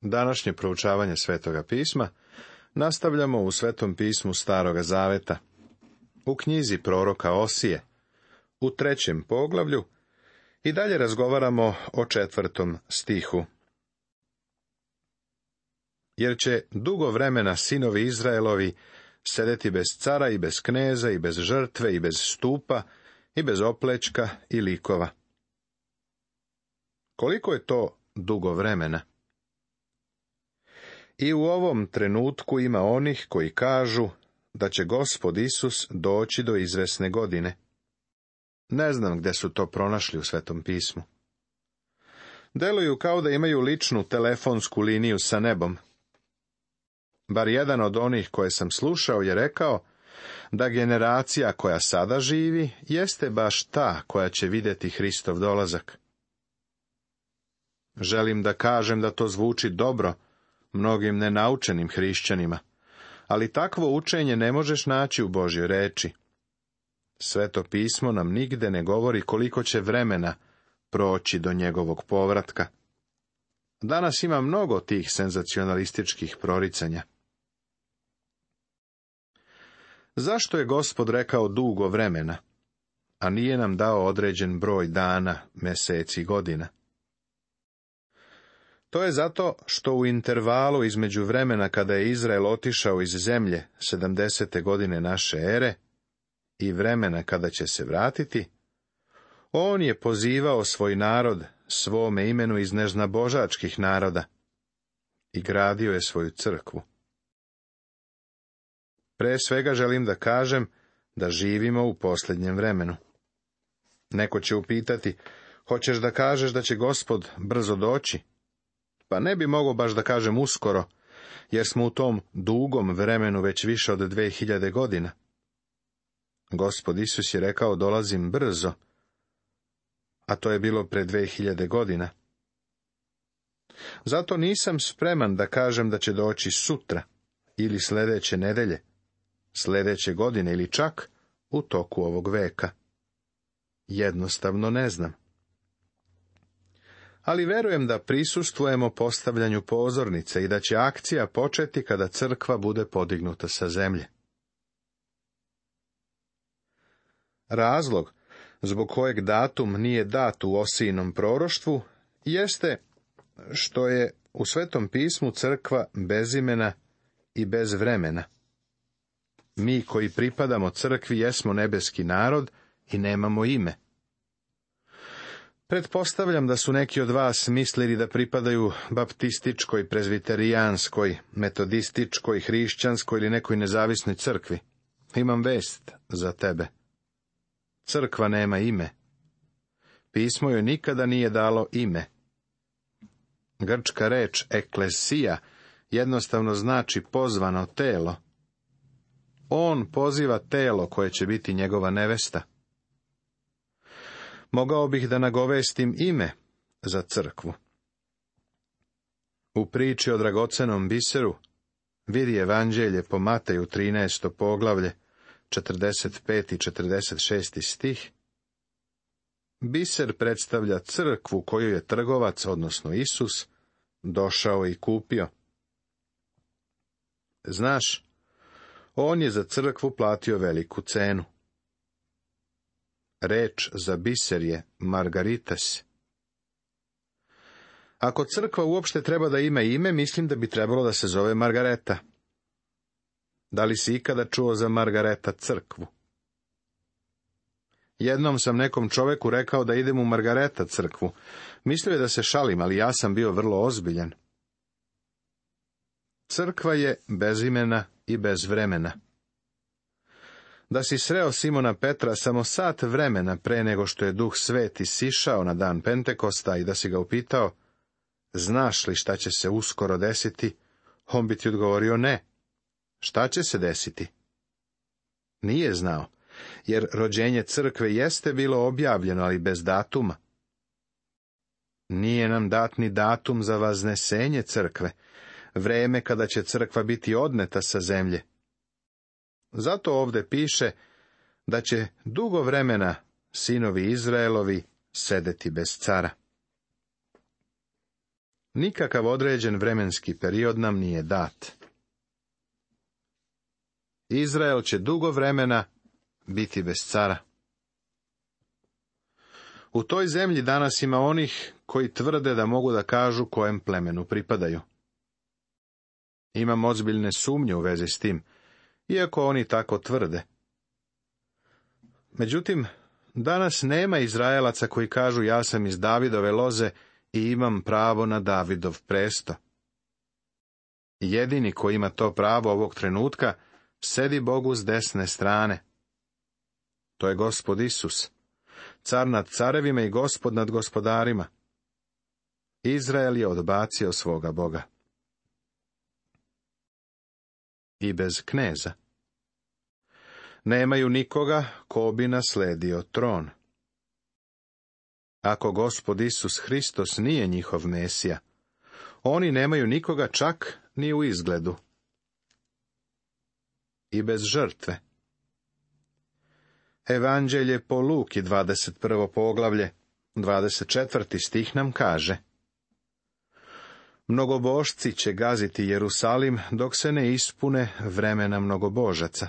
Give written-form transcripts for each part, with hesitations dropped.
Današnje proučavanje Svetoga pisma nastavljamo u Svetom pismu Staroga zaveta, u knjizi proroka Osije, u 3. poglavlju, i dalje razgovaramo o 4. stihu. Jer će dugo vremena sinovi Izraelovi sedeti bez cara i bez kneza i bez žrtve i bez stupa i bez oplečka i likova. Koliko je to dugo vremena? I u ovom trenutku ima onih koji kažu da će Gospod Isus doći do izvesne godine. Ne znam gde su to pronašli u Svetom pismu. Deluju kao da imaju ličnu telefonsku liniju sa nebom. Bar jedan od onih koje sam slušao je rekao da generacija koja sada živi jeste baš ta koja će vidjeti Hristov dolazak. Želim da kažem da to zvuči dobro mnogim nenaučenim hrišćanima, ali takvo učenje ne možeš naći u Božjoj reči. Sveto pismo nam nigde ne govori koliko će vremena proći do njegovog povratka. Danas ima mnogo tih senzacionalističkih proricanja. Zašto je Gospod rekao dugo vremena, a nije nam dao određen broj dana, meseci i godina? To je zato što u intervalu između vremena kada je Izrael otišao iz zemlje 70. godine naše ere i vremena kada će se vratiti, on je pozivao svoj narod svome imenu iz neznabožačkih naroda i gradio je svoju crkvu. Pre svega želim da kažem da živimo u posljednjem vremenu. Neko će upitati, hoćeš da kažeš da će Gospod brzo doći? Pa ne bi mogao baš da kažem uskoro, jer smo u tom dugom vremenu već više od 2000 godina. Gospod Isus je rekao, dolazim brzo, a to je bilo pre 2000 godina. Zato nisam spreman da kažem da će doći sutra, ili sljedeće nedelje, sljedeće godine ili čak u toku ovog veka. Jednostavno ne znam. Ali verujem da prisustvujemo postavljanju pozornice i da će akcija početi kada crkva bude podignuta sa zemlje. Razlog zbog kojeg datum nije dat u Osijinom proroštvu jeste što je u Svetom pismu crkva bez imena i bez vremena. Mi koji pripadamo crkvi jesmo nebeski narod i nemamo ime. Pretpostavljam da su neki od vas mislili da pripadaju baptističkoj, prezbiterijanskoj, metodističkoj, hrišćanskoj ili nekoj nezavisnoj crkvi. Imam vest za tebe. Crkva nema ime. Pismo joj nikada nije dalo ime. Grčka reč eklesija jednostavno znači pozvano telo. On poziva telo koje će biti njegova nevesta. Mogao bih da nagovestim ime za crkvu. U priči o dragocenom biseru vidi evanđelje po Mateju 13. poglavlje, 45. i 46. stih. Biser predstavlja crkvu koju je trgovac, odnosno Isus, došao i kupio. Znaš, on je za crkvu platio veliku cenu. Reč za biser je margaritas. Ako crkva uopšte treba da ima ime, mislim da bi trebalo da se zove Margareta. Da li si ikada čuo za Margareta crkvu? Jednom sam nekom čoveku rekao da idem u Margareta crkvu. Mislio je da se šalim, ali ja sam bio vrlo ozbiljan. Crkva je bez imena i bez vremena. Da si sreo Simona Petra samo sat vremena pre nego što je Duh Sveti sišao na dan Pentekosta i da si ga upitao, znaš li šta će se uskoro desiti, on bi ti odgovorio ne. Šta će se desiti? Nije znao, jer rođenje crkve jeste bilo objavljeno, ali bez datuma. Nije nam dat ni datum za vaznesenje crkve, vreme kada će crkva biti odneta sa zemlje. Zato ovde piše da će dugo vremena sinovi Izraelovi sedeti bez cara. Nikakav određen vremenski period nam nije dat. Izrael će dugo vremena biti bez cara. U toj zemlji danas ima onih koji tvrde da mogu da kažu kojem plemenu pripadaju. Imam ozbiljne sumnje u vezi s tim, iako oni tako tvrde. Međutim, danas nema Izraelaca koji kažu ja sam iz Davidove loze i imam pravo na Davidov presto. Jedini koji ima to pravo ovog trenutka sedi Bogu s desne strane. To je Gospod Isus, car nad carevima i Gospod nad gospodarima. Izrael je odbacio svoga Boga. I bez kneza. Nemaju nikoga ko bi nasledio tron. Ako Gospod Isus Hristos nije njihov Mesija, oni nemaju nikoga čak ni u izgledu. I bez žrtve. Evanđelje po Luki, 21. poglavlje, 24. stih nam kaže: Mnogobožci će gaziti Jerusalim dok se ne ispune vremena mnogobožaca.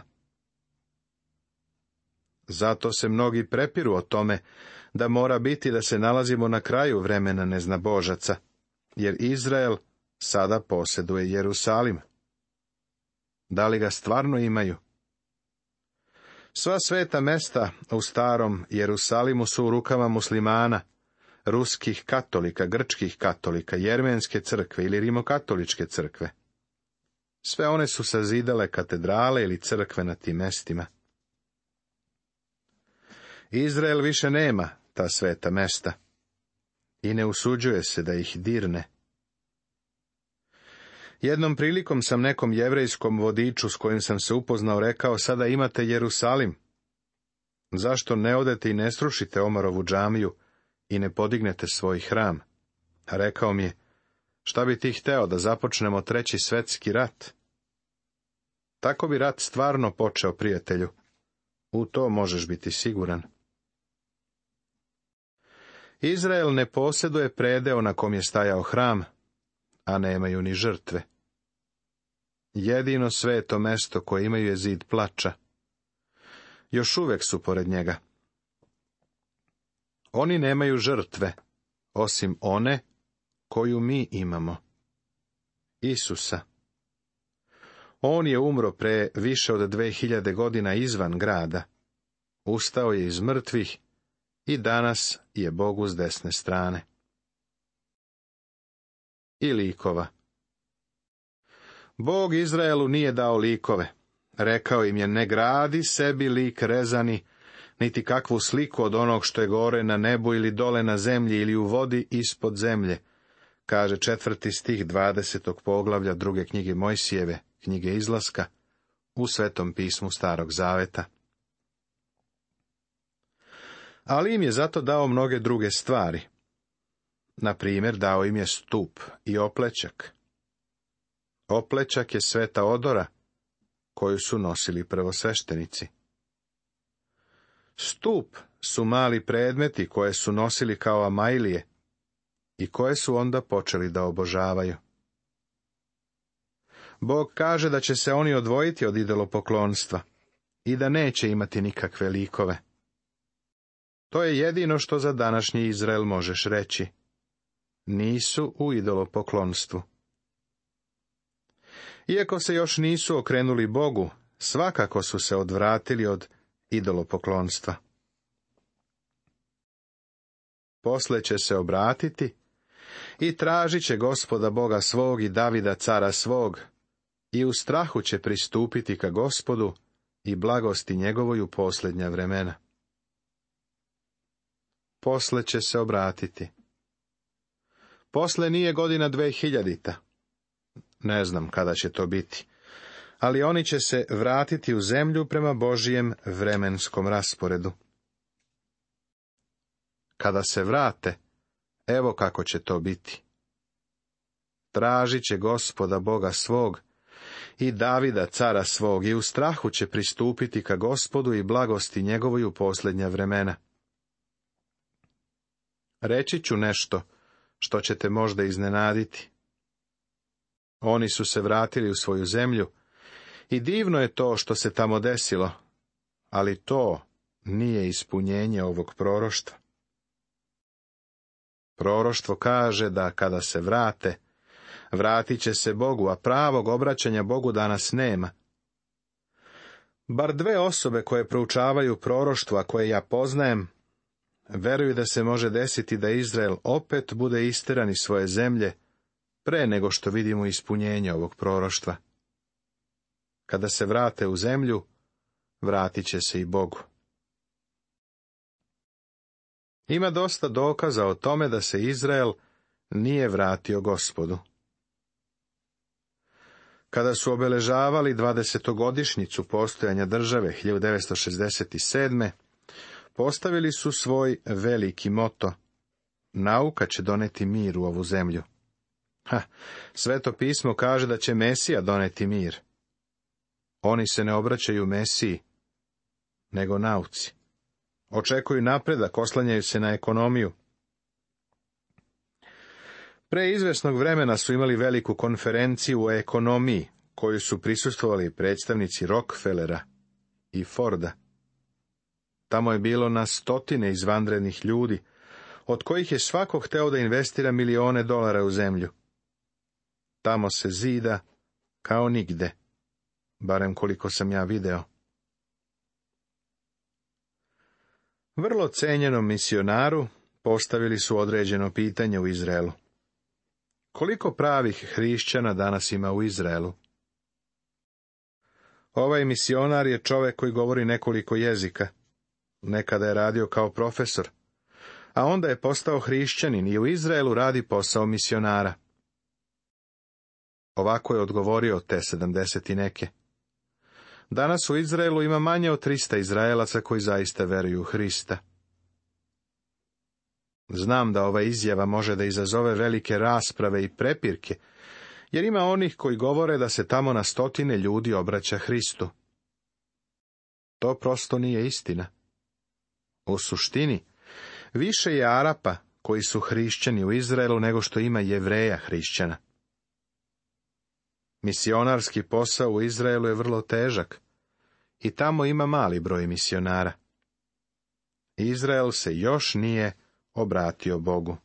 Zato se mnogi prepiru o tome da mora biti da se nalazimo na kraju vremena neznabožaca, jer Izrael sada posjeduje Jerusalim. Da li ga stvarno imaju? Sva sveta mesta u starom Jerusalimu su u rukama muslimana, ruskih katolika, grčkih katolika, jermenske crkve ili rimokatoličke crkve. Sve one su sazidale katedrale ili crkve na tim mestima. Izrael više nema ta sveta mesta i ne usuđuje se da ih dirne. Jednom prilikom sam nekom jevrejskom vodiču s kojim sam se upoznao rekao: sada imate Jerusalim. Zašto ne odete i ne srušite Omarovu džamiju i ne podignete svoj hram? A rekao mi je: šta bi ti hteo, da započnemo 3. svetski rat? Tako bi rat stvarno počeo, prijatelju. U to možeš biti siguran. Izrael ne posjeduje predeo na kom je stajao hram, a nemaju ni žrtve. Jedino sveto mesto koje imaju je zid plača. Još uvek su pored njega. Oni nemaju žrtve, osim one koju mi imamo. Isusa. On je umro pre više od 2000 godina izvan grada. Ustao je iz mrtvih i danas je Bogu s desne strane. I likova. Bog Izraelu nije dao likove. Rekao im je: ne gradi sebi lik rezani, niti kakvu sliku od onog što je gore na nebu ili dole na zemlji ili u vodi ispod zemlje, kaže 4. stih 20. poglavlja 2. knjige Mojsijeve, knjige Izlaska, u Svetom pismu Starog Zaveta. Ali im je zato dao mnoge druge stvari. Na primjer, dao im je stup i oplećak. Oplećak je sveta odora, koju su nosili prvosveštenici. Stup su mali predmeti koje su nosili kao amajlije i koje su onda počeli da obožavaju. Bog kaže da će se oni odvojiti od idolopoklonstva i da neće imati nikakve likove. To je jedino što za današnji Izrael možeš reći. Nisu u idolopoklonstvu. Iako se još nisu okrenuli Bogu, svakako su se odvratili od idolopoklonstva. Posle će se obratiti i tražit će Gospoda Boga svog i Davida cara svog, i u strahu će pristupiti ka Gospodu i blagosti njegovoj u posljednja vremena. Posle će se obratiti. Posle nije godina 2000. Ne znam kada će to biti, ali oni će se vratiti u zemlju prema Božijem vremenskom rasporedu. Kada se vrate, evo kako će to biti. Tražit će Gospoda Boga svog i Davida cara svog i u strahu će pristupiti ka Gospodu i blagosti njegovoj u posljednja vremena. Reći ću nešto što će te možda iznenaditi. Oni su se vratili u svoju zemlju i divno je to što se tamo desilo, ali to nije ispunjenje ovog proroštva. Proroštvo kaže da kada se vrate, vratit će se Bogu, a pravog obraćanja Bogu danas nema. Bar 2 osobe koje proučavaju proroštva koje ja poznajem, veruju da se može desiti da Izrael opet bude isteran iz svoje zemlje, pre nego što vidimo ispunjenje ovog proroštva. Kada se vrate u zemlju, vratit će se i Bogu. Ima dosta dokaza o tome da se Izrael nije vratio Gospodu. Kada su obeležavali 20-godišnjicu postojanja države 1967. postavili su svoj veliki moto: nauka će doneti mir u ovu zemlju. Sveto pismo kaže da će Mesija doneti mir. Oni se ne obraćaju Mesiji, nego nauci. Očekuju napredak, oslanjaju se na ekonomiju. Pre izvesnog vremena su imali veliku konferenciju o ekonomiji, koju su prisustvovali predstavnici Rockefellera i Forda. Tamo je bilo na stotine izvanrednih ljudi, od kojih je svako hteo da investira milione dolara u zemlju. Tamo se zida kao nigde, barem koliko sam ja video. Vrlo cenjenom misionaru postavili su određeno pitanje u Izraelu. Koliko pravih hrišćana danas ima u Izraelu? Ovaj misionar je čovek koji govori nekoliko jezika. Nekada je radio kao profesor, a onda je postao hrišćanin i u Izraelu radi posao misionara. Ovako je odgovorio te 70 i neke. Danas u Izraelu ima manje od 300 Izraelaca koji zaista veruju u Hrista. Znam da ova izjava može da izazove velike rasprave i prepirke, jer ima onih koji govore da se tamo na stotine ljudi obraća Hristu. To prosto nije istina. U suštini, više je Arapa koji su hrišćani u Izraelu nego što ima Jevreja hrišćana. Misionarski posao u Izraelu je vrlo težak i tamo ima mali broj misionara. Izrael se još nije obratio Bogu.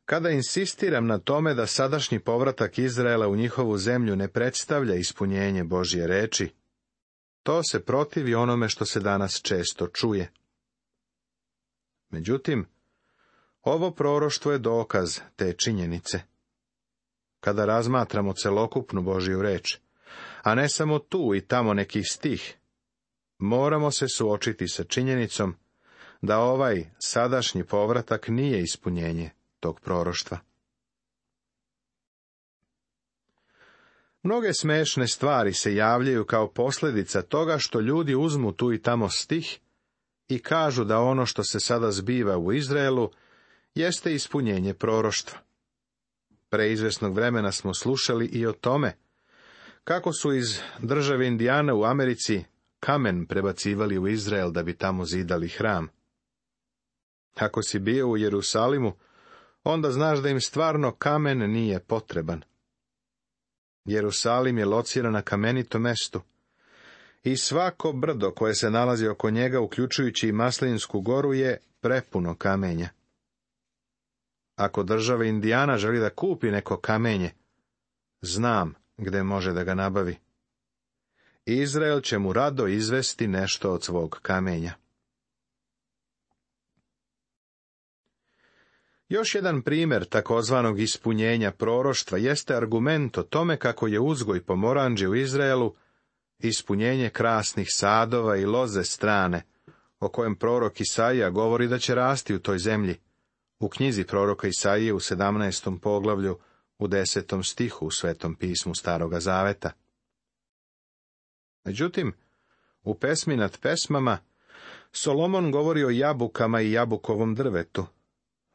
Kada insistiram na tome da sadašnji povratak Izraela u njihovu zemlju ne predstavlja ispunjenje Božje reči, to se protivi onome što se danas često čuje. Međutim, ovo proroštvo je dokaz te činjenice. Kada razmatramo celokupnu Božju reč, a ne samo tu i tamo neki stih, moramo se suočiti sa činjenicom da ovaj sadašnji povratak nije ispunjenje tog proroštva. Mnoge smešne stvari se javljaju kao posljedica toga što ljudi uzmu tu i tamo stih i kažu da ono što se sada zbiva u Izraelu jeste ispunjenje proroštva. Pre izvesnog vremena smo slušali i o tome kako su iz države Indijana u Americi kamen prebacivali u Izrael da bi tamo zidali hram. Ako si bio u Jerusalimu, onda znaš da im stvarno kamen nije potreban. Jerusalim je lociran na kamenitom mestu i svako brdo koje se nalazi oko njega, uključujući i Maslinsku goru, je prepuno kamenja. Ako država Indijana želi da kupi neko kamenje, znam gde može da ga nabavi. Izrael će mu rado izvesti nešto od svog kamenja. Još jedan primjer takozvanog ispunjenja proroštva jeste argument o tome kako je uzgoj pomoranđe u Izraelu ispunjenje krasnih sadova i loze strane, o kojem prorok Isaija govori da će rasti u toj zemlji, u knjizi proroka Isaije u 17. poglavlju, u 10. stihu u Svetom pismu Staroga Zaveta. Međutim, u pesmi nad pesmama Solomon govori o jabukama i jabukovom drvetu,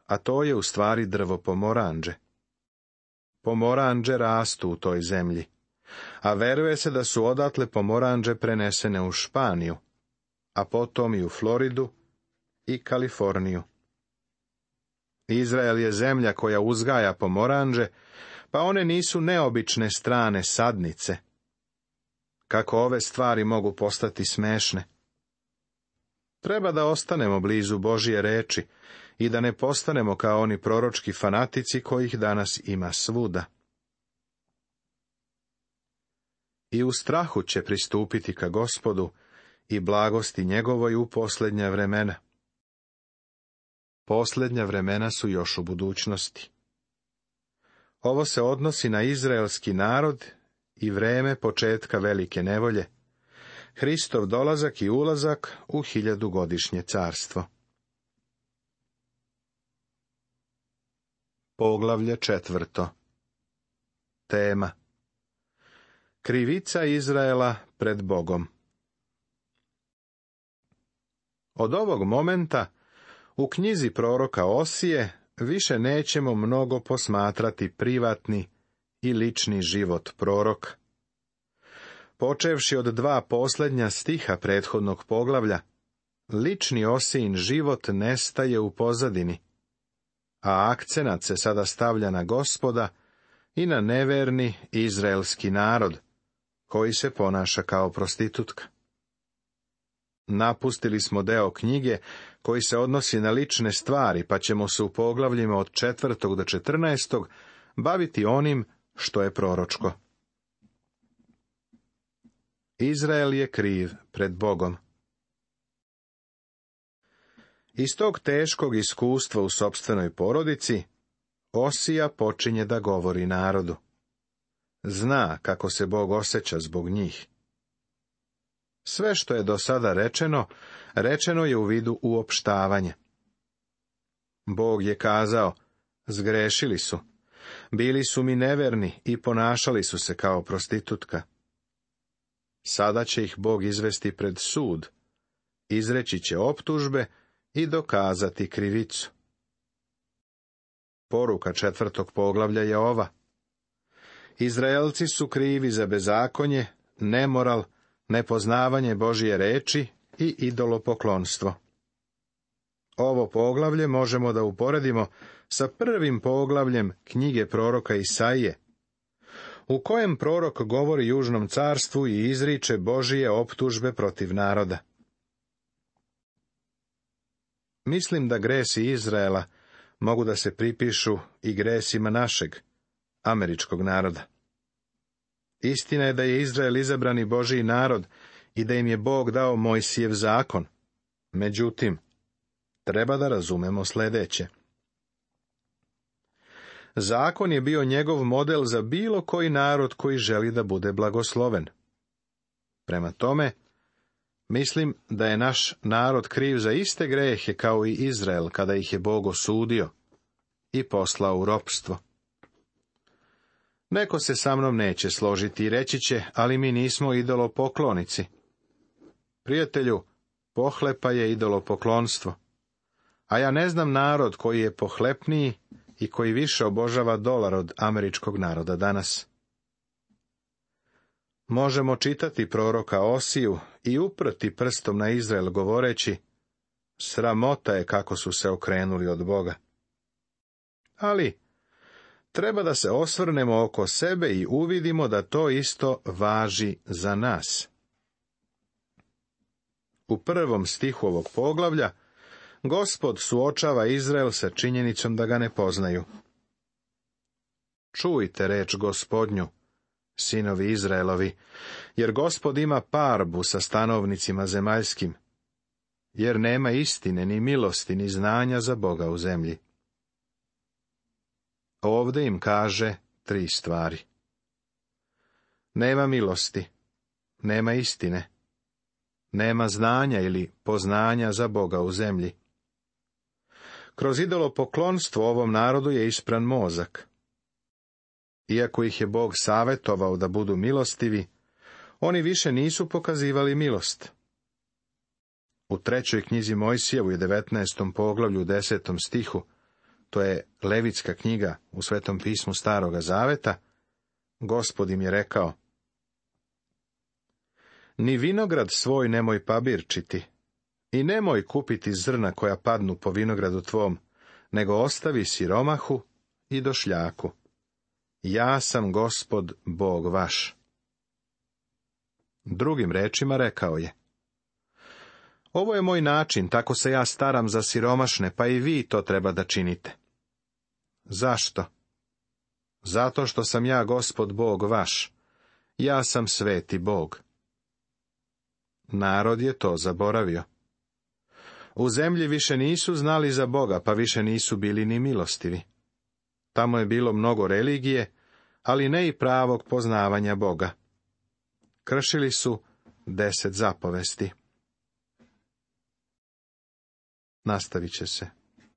a to je u stvari drvo pomoranđe. Pomoranđe rastu u toj zemlji, a veruje se da su odatle pomoranđe prenesene u Španiju, a potom i u Floridu i Kaliforniju. Izrael je zemlja koja uzgaja pomoranđe, pa one nisu neobične strane sadnice. Kako ove stvari mogu postati smešne? Treba da ostanemo blizu Božje reči i da ne postanemo kao oni proročki fanatici kojih danas ima svuda. I u strahu će pristupiti ka Gospodu i blagosti njegovoj u posljednja vremena. Posljednja vremena su još u budućnosti. Ovo se odnosi na izraelski narod i vreme početka velike nevolje, Hristov dolazak i ulazak u 1000-godišnje carstvo. Poglavlje 4. Tema: krivica Izraela pred Bogom. Od ovog momenta u knjizi proroka Osije više nećemo mnogo posmatrati privatni i lični život proroka. Počevši od 2 posljednja stiha prethodnog poglavlja, lični Osijin život nestaje u pozadini, a akcenat se sada stavlja na Gospoda i na neverni izraelski narod, koji se ponaša kao prostitutka. Napustili smo deo knjige koji se odnosi na lične stvari, pa ćemo se u poglavljima od 4. do 14. baviti onim što je proročko. Izrael je kriv pred Bogom. Iz tog teškog iskustva u sopstvenoj porodici, Osija počinje da govori narodu. Zna kako se Bog osjeća zbog njih. Sve što je do sada rečeno, rečeno je u vidu uopštavanja. Bog je kazao, zgrešili su, bili su mi neverni i ponašali su se kao prostitutka. Sada će ih Bog izvesti pred sud, izreći će optužbe i dokazati krivicu. Poruka 4. poglavlja je ova: Izraelci su krivi za bezakonje, nemoral, nepoznavanje Božje reči i idolopoklonstvo. Ovo poglavlje možemo da uporedimo sa 1. poglavljem knjige proroka Isaije, u kojem prorok govori južnom carstvu i izriče Božije optužbe protiv naroda. Mislim da gresi Izraela mogu da se pripišu i gresima našeg, američkog naroda. Istina je da je Izrael izabrani Božji narod i da im je Bog dao Mojsijev zakon. Međutim, treba da razumemo sljedeće. Zakon je bio njegov model za bilo koji narod koji želi da bude blagosloven. Prema tome, mislim da je naš narod kriv za iste grehe kao i Izrael kada ih je Bog osudio i poslao u ropstvo. Neko se sa mnom neće složiti i reći će, ali mi nismo idolopoklonici. Prijatelju, pohlepa je idolopoklonstvo. A ja ne znam narod koji je pohlepniji i koji više obožava dolar od američkog naroda danas. Možemo čitati proroka Osiju i uprti prstom na Izrael govoreći, sramota je kako su se okrenuli od Boga. Ali treba da se osvrnemo oko sebe i uvidimo da to isto važi za nas. U 1. stihu ovog poglavlja Gospod suočava Izrael sa činjenicom da ga ne poznaju. Čujte reč Gospodnju, sinovi Izraelovi, jer Gospod ima parbu sa stanovnicima zemaljskim, jer nema istine, ni milosti, ni znanja za Boga u zemlji. Ovde im kaže 3 stvari. Nema milosti, nema istine, nema znanja ili poznanja za Boga u zemlji. Kroz idolopoklonstvo ovom narodu je ispran mozak. Iako ih je Bog savjetovao da budu milostivi, oni više nisu pokazivali milost. U 3. knjizi Mojsijevu i 19. poglavlju 10. stihu, to je Levitska knjiga u Svetom pismu Staroga zaveta, Gospod im je rekao: ni vinograd svoj nemoj pabirčiti, i nemoj kupiti zrna koja padnu po vinogradu tvom, nego ostavi siromahu i došljaku. Ja sam Gospod Bog vaš. Drugim rečima rekao je: ovo je moj način, tako se ja staram za siromašne, pa i vi to treba da činite. Zašto? Zato što sam ja Gospod Bog vaš. Ja sam sveti Bog. Narod je to zaboravio. U zemlji više nisu znali za Boga, pa više nisu bili ni milostivi. Tamo je bilo mnogo religije, ali ne i pravog poznavanja Boga. Kršili su 10 zapovesti. Nastavit će se.